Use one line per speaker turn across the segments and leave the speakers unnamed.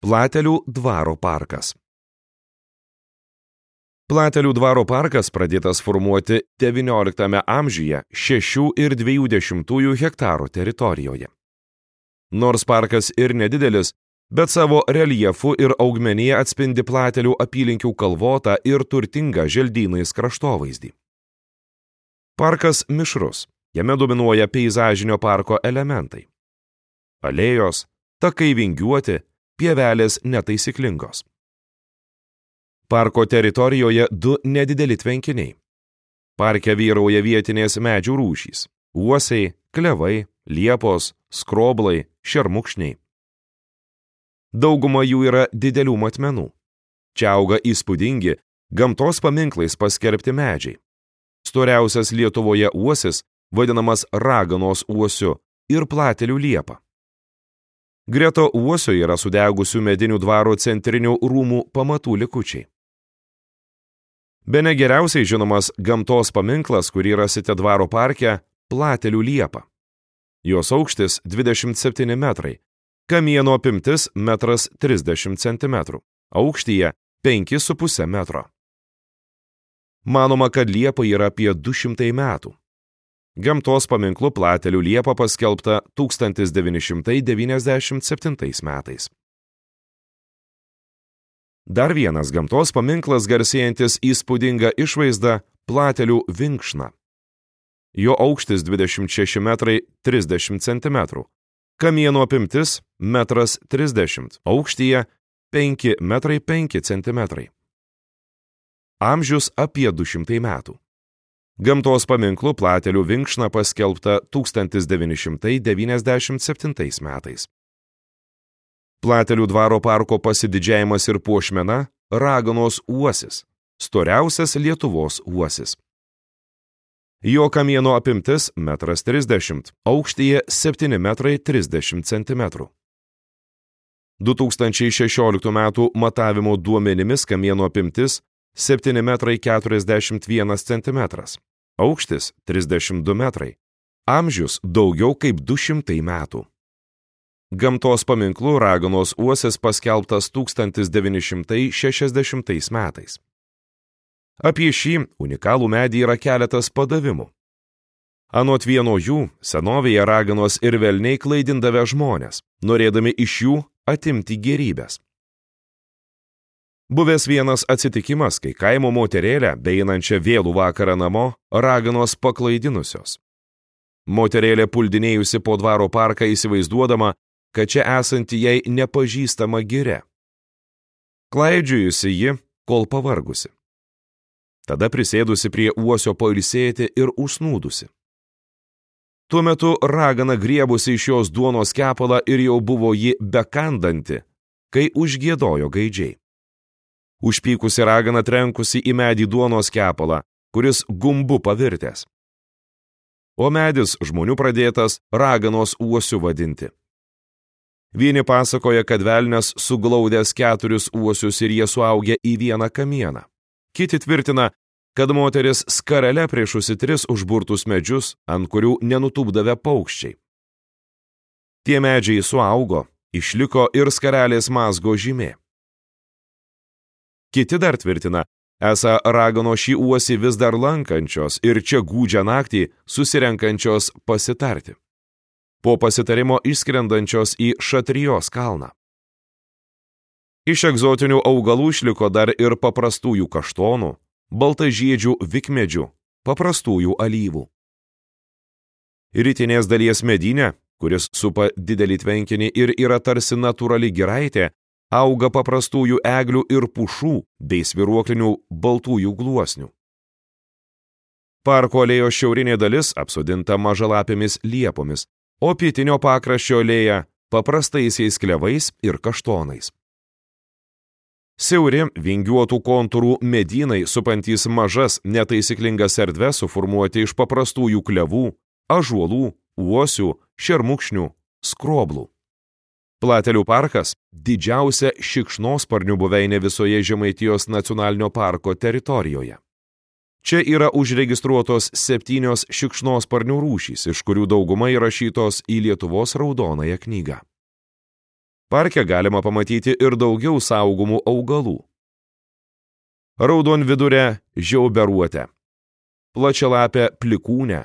Platelių dvaro parkas. Platelių dvaro parkas pradėtas formuoti XIX amžiuje 6,2 hektarų teritorijoje. Nors parkas ir nedidelis, bet savo reljefu ir augmenija atspindi Platelių apylinkių kalvotą ir turtingą želdynais kraštovaizdį. Parkas mišrus, jame dominuoja peizažinio parko elementai. Alėjos, takai vingiuoti, pievelės netaisyklingos. Parko teritorijoje 2 nedideli tvenkiniai. Parke vyrauja vietinės medžių rūšys – uosiai, klevai, liepos, skroblai, šermukšniai. Dauguma jų yra didelių matmenų. Čia auga įspūdingi, gamtos paminklais paskelbti medžiai. Storiausias Lietuvoje uosis vadinamas raganos uosiu ir Platelių liepa. Greta uosio yra sudegusių medinių dvaro centrinių rūmų pamatų likučiai. Bene geriausiai žinomas gamtos paminklas, kurį rasite dvaro parke, Platelių liepa. Jos aukštis 27 metrai, kamieno apimtis 1,30 cm, aukštyje 5,5 metro. Manoma, kad liepa yra apie 200 metų. Gamtos paminklu Platelių liepa paskelbta 1997 metais. Dar vienas gamtos paminklas garsėjantis įspūdinga išvaizda Platelių vinkšna. Jo aukštis 26 metrai 30 cm, kamieno apimtis 1,30 m, aukštyje 5 metrai 5 cm. Amžius apie 200 metų. Gamtos paminklu Platelių vinkšna paskelbta 1997 metais. Platelių dvaro parko pasididžiavimas ir puošmena – raganos uosis, storiausias Lietuvos uosis. Jo kamieno apimtis 1,30 m, aukštyje 7 metrai 30 cm. 2016 metų matavimo duomenimis kamieno apimtis 7 metrai 41 cm, aukštis 32 metrai, amžius daugiau kaip 200 metų. Gamtos paminklu raganos uosis paskelbtas 1960 metais. Apie šį unikalų medį yra keletas padavimų. Anot vieno jų, senovėje raganos ir velniai klaidindavę žmonės, norėdami iš jų atimti gėrybės. Buvęs vienas atsitikimas, kai kaimo moterėlę, beeinančią vėlų vakarą namo, raganos paklaidinusios. Moterėlė puldinėjusi po dvaro parką įsivaizduodama, kad čia esanti jai nepažįstama giria. Klaidžiojusi ji, kol pavargusi. Tada prisėdusi prie uosio pailsėti ir užsnūdusi. Tuo metu ragana griebusi iš jos duonos kepalą ir jau buvo ji bekandanti, kai užgiedojo gaidžiai. Užpykusi ragana trenkusi į medį duonos kepalą, kuris gumbu pavirtęs. O medis žmonių pradėtas raganos uosiu vadinti. Vieni pasakoja, kad velnias suglaudęs 4 uosius ir jie suaugę į vieną kamieną. Kiti tvirtina, kad moteris skarele priešusi 3 užburtus medžius, ant kurių nenutūpdavę paukščiai. Tie medžiai suaugo, išliko ir skarelės mazgo žymė. Kiti dar tvirtina, esą ragano šį uosį vis dar lankančios ir čia gūdžią naktį susirenkančios pasitarti. Po pasitarimo išskrendančios į Šatrijos kalną. Iš egzotinių augalų išliko dar ir paprastųjų kaštonų, baltažiedžių vikmedžių, paprastųjų alyvų. Rytinės dalies medyne, kuris supa didelį tvenkinį ir yra tarsi natūrali giraitė, auga paprastųjų eglių ir pušų bei svyruoklinių baltųjų gluosnių. Parko alėjos šiaurinė dalis apsodinta mažalapėmis liepomis, o pietinio pakraščio alėja paprastaisiais klevais ir kaštonais. Siauri, vingiuotų kontūrų medynai supantys mažas, netaisyklingas erdves suformuoti iš paprastųjų klevų, ąžuolų, uosių, šermukšnių, skroblų. Platelių parkas – didžiausia šikšnosparnių buveinė visoje Žemaitijos nacionalinio parko teritorijoje. Čia yra užregistruotos 7 šikšnosparnių rūšys, iš kurių dauguma įrašytos į Lietuvos raudonąją knygą. Parke galima pamatyti ir daugiau saugomų augalų. Raudonvidurę žiauberuotę, plačialapę plikūnę,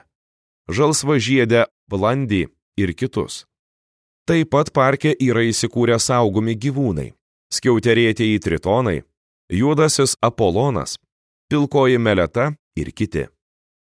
žalsvažiedę blandį ir kitus. Taip pat parke yra įsikūrę saugomi gyvūnai, skiauterėtieji tritonai, juodasis apolonas, pilkoji meleta ir kiti.